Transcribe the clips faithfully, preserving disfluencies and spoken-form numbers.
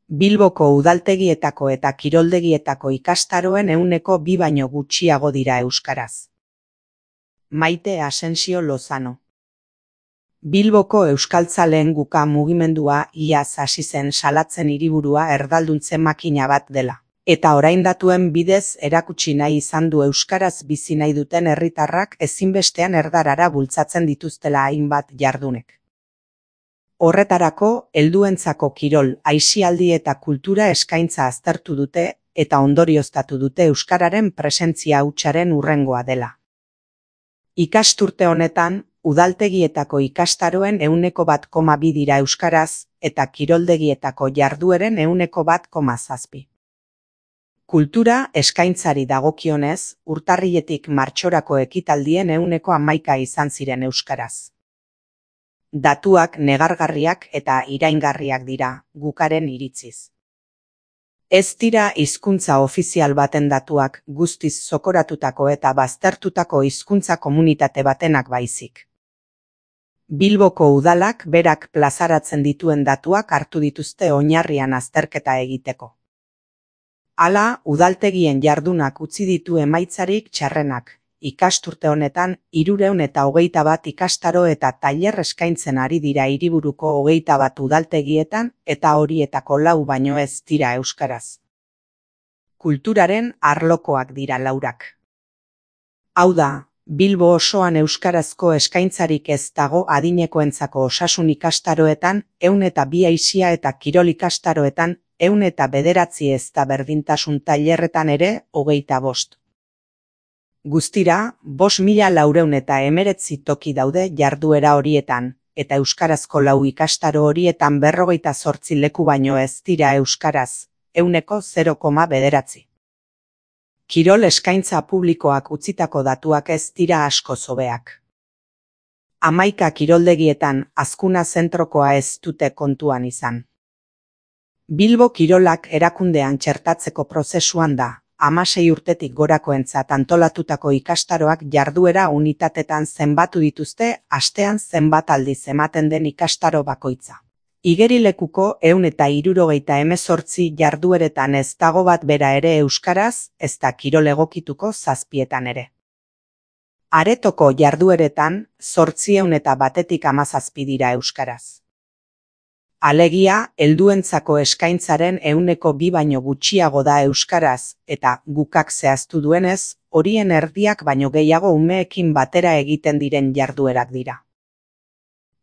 Bilboko udaltegietako eta kiroldegietako ikastaroen ehuneko bi baino gutxiago dira euskaraz. Maite Asensio Lozano. Bilboko euskaltzaleen guka mugimendua iaz hasi zen salatzen hiriburua erdalduntze makina bat dela. Eta orain datuen bidez erakutsi nahi izan du euskaraz bizi nahi duten herritarrak ezinbestean erdarara bultzatzen dituztela hainbat jardunek. Horretarako, helduentzako kirol, aisialdi eta kultura eskaintza aztertu dute eta ondorioztatu dute euskararen presentzia hutsaren hurrengoa dela. Ikasturte honetan, udaltegietako ikastaroen ehuneko bat koma bi dira euskaraz eta kiroldegietako jardueren ehuneko bat koma zazpi. Kultura eskaintzari dagokionez, urtarriletik martxorako ekitaldien ehuneko hamaika izan ziren euskaraz. Datuak negargarriak eta iraingarriak dira, gukaren iritziz. Ez dira hizkuntza ofizial baten datuak guztiz zokoratutako eta baztertutako hizkuntza komunitate batenak baizik. Bilboko udalak berak plazaratzen dituen datuak hartu dituzte oinarrian azterketa egiteko. Hala, udaltegien jardunak utzi ditu emaitzarik txarrenak. Ikasturte honetan, hirurehun eta hogeita bat ikastaro eta tailer eskaintzen ari dira hiriburuko hogeita bat udaltegietan eta horietako lau baino ez dira euskaraz. Kulturaren arlokoak dira laurak. Hau da, Bilbo osoan euskarazko eskaintzarik ez dago adinekoentzako osasun ikastaroetan, ehun eta bi aisia eta kirol ikastaroetan, ehun eta bederatzi ez da berdintasun tailerretan ere hogeita bost. Guztira, bost mila laurehun eta hemeretzi toki daude jarduera horietan, eta euskarazko lau ikastaro horietan berrogeita zortzi leku baino ez dira euskaraz, ehuneko zero koma bederatzi. Kirol eskaintza publikoak utzitako datuak ez dira asko zobeak. Hamaika kiroldegietan azkuna zentrokoa ez dute kontuan izan. Bilbo kirolak erakundean txertatzeko prozesuan da. Hamasei urtetik gorakoentzat antolatutako ikastaroak jarduera unitatetan zenbatu dituzte astean zenbat aldiz ematen den ikastaro bakoitza. Igerilekuko ehun eta hirurogeita hemezortzi jardueretan ez dago bat bera ere euskaraz, ez da kirol egokituko zazpietan ere. Aretoko jardueretan zortziehun eta batetik hamazazpi dira euskaraz. Alegia, helduentzako eskaintzaren ehuneko bi baino gutxiago da euskaraz, eta gukak zehaztu duenez, horien erdiak baino gehiago umeekin batera egiten diren jarduerak dira.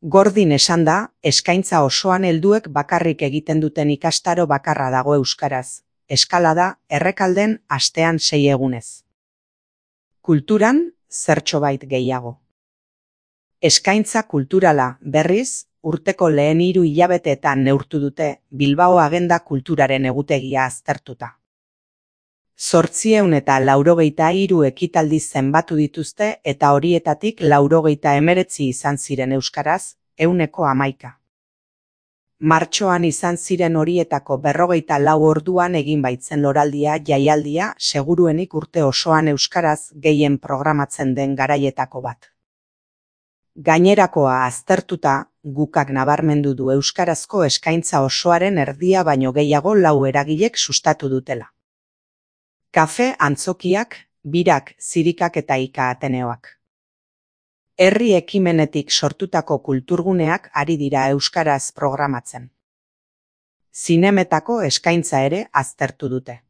Gordin esan da, eskaintza osoan helduek bakarrik egiten duten ikastaro bakarra dago euskaraz. Eskalada, Errekalden astean sei egunez. Kulturan, zertxobait gehiago. Eskaintza kulturala, berriz, urteko lehen hiru hilabeteetan neurtu dute Bilbao Agenda Kulturaren egutegia aztertuta. Zortziehun eta laurogeita hiru ekitaldi zenbatu dituzte eta horietatik laurogeita hemeretzi izan ziren euskaraz, ehuneko hamaika. Martxoan izan ziren horietako berrogeita lau orduan egin baitzen loraldia jaialdia seguruenik urte osoan euskaraz gehien programatzen den garaietako bat. Gainerakoa aztertuta, gukak nabarmendu du euskarazko eskaintza osoaren erdia baino gehiago lau eragilek sustatu dutela. Kafe, antzokiak, birak, zirikak eta ika Ateneoak. Herri ekimenetik sortutako kulturguneak ari dira euskaraz programatzen. Zinemetako eskaintza ere aztertu dute.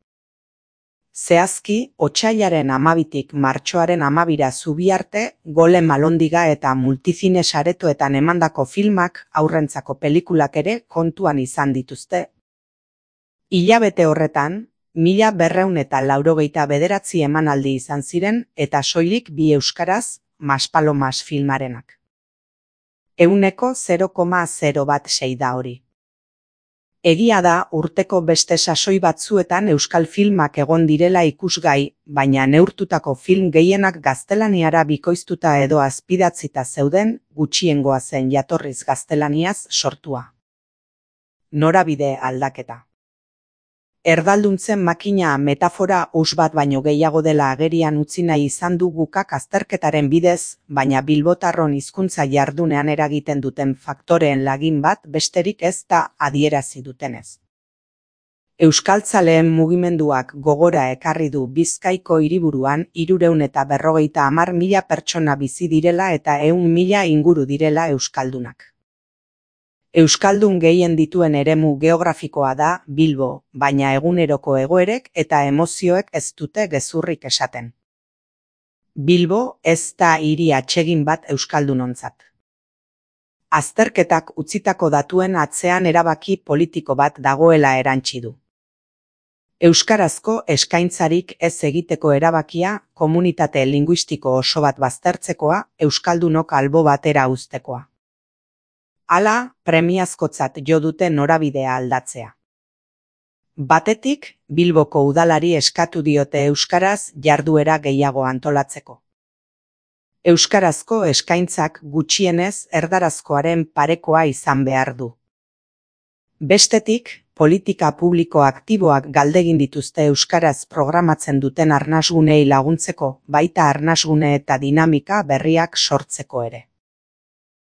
Zehazki, otsailaren hamabitik martxoaren hamabira Zubiarte, Gole Malondiga eta Multizine saretoetan emandako filmak haurrentzako pelikulak ere kontuan izan dituzte. Hilabete horretan, mila berrehun eta laurogeita bederatzi emanaldi izan ziren eta soilik bi euskaraz, Maspalomas filmarenak. Ehuneko zero koma zero bat sei da hori. Egia da urteko beste sasoi batzuetan euskal filmak egon direla ikusgai, baina neurtutako film gehienak gaztelaniara bikoiztuta edo azpidatzita zeuden, gutxiengoa zen jatorriz gaztelaniaz sortua. Norabide aldaketa. Erdalduntzen makina metafora us bat baino gehiago dela agerian utzi nahi izan du gukak azterketaren bidez, baina bilbotarron hizkuntza jardunean eragiten duten faktoreen lagin bat besterik ez da adierazi dutenez. Euskaltzaleen mugimenduak gogora ekarri du Bizkaiko hiriburuan hirurehun eta berrogeita hamar mila pertsona bizi direla eta ehun mila inguru direla euskaldunak. Euskaldun gehien dituen eremu geografikoa da Bilbo, baina eguneroko egoerek eta emozioek ez dute gezurrik esaten. Bilbo ez da hiri atsegin bat euskaldunontzat. Azterketak utzitako datuen atzean erabaki politiko bat dagoela erantsi du. Euskarazko eskaintzarik ez egiteko erabakia, komunitate linguistiko oso bat baztertzekoa, euskaldunok albo batera uztekoa. Hala, premiazkotzat jo dute norabidea aldatzea. Batetik, Bilboko udalari eskatu diote euskaraz jarduera gehiago antolatzeko. Euskarazko eskaintzak gutxienez erdarazkoaren parekoa izan behar du. Bestetik, politika publiko aktiboak galdegin dituzte euskaraz programatzen duten arnasgunei laguntzeko, baita arnasgune eta dinamika berriak sortzeko ere.